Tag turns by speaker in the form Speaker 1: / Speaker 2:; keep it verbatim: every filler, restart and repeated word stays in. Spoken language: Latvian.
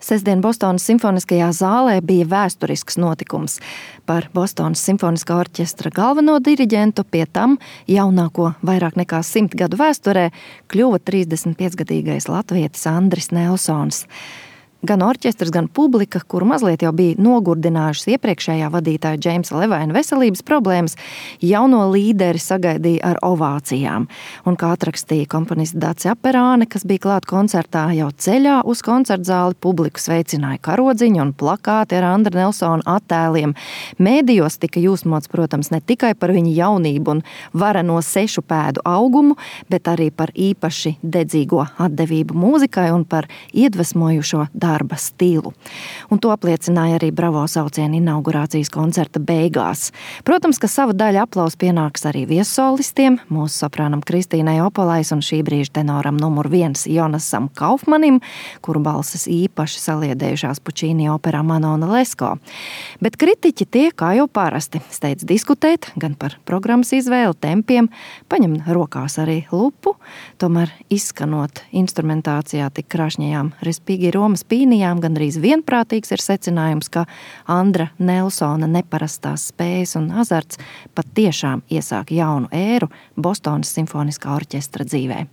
Speaker 1: Sestdien Bostonas simfoniskajā zālē bija vēsturisks notikums. Par Bostonas simfoniskā orķestra galveno diriģentu, pie tam jaunāko vairāk nekā simt gadu vēsturē, kļuva trīsdesmitpiecgadīgais latvietis Andris Nelsons. Gan orķestrs, gan publika, kuru mazliet jau bija nogurdinājušas iepriekšējā vadītāja Džeimsa Levaina veselības problēmas, jauno līderi sagaidīja ar ovācijām. Un kā atrakstīja komponists Dace Aperāne, kas bija klāt koncertā, jau ceļā uz koncertzāli publiku sveicināja karodziņu un plakāti ar Andra Nelsona attēliem. Mēdījos tika jūsmots, protams, ne tikai par viņa jaunību un vareno sešu pēdu augumu, bet arī par īpaši dedzīgo atdevību mūzikai un par iedvesmojušo darba stilu. Un to apliecināja arī bravo saucienu inaugurācijas koncerta beigās. Protams, ka sava daļa aplausa pienāks arī viesolistiem, mūsu soprānam Kristīnai Opolais un šī brīža tenoram numur viens Jonasam Kaufmanim, kuru balsis īpaši saliedējušās Pučīni operā Manona Lesko. Bet kritiķi tie, kā jau parasti, steidz diskutēt gan par programmas izvēli, tempiem, paņem rokās arī lupu, tomēr izskanot instrumentācijā tik krāšņajām respīgi Romas pīnijām, gandrīz vienprātīgs ir secinājums, ka Andra Nelsona neparastās spējas un azarts pat tiešām iesāk jaunu ēru Bostonas simfoniskā orķestra dzīvē.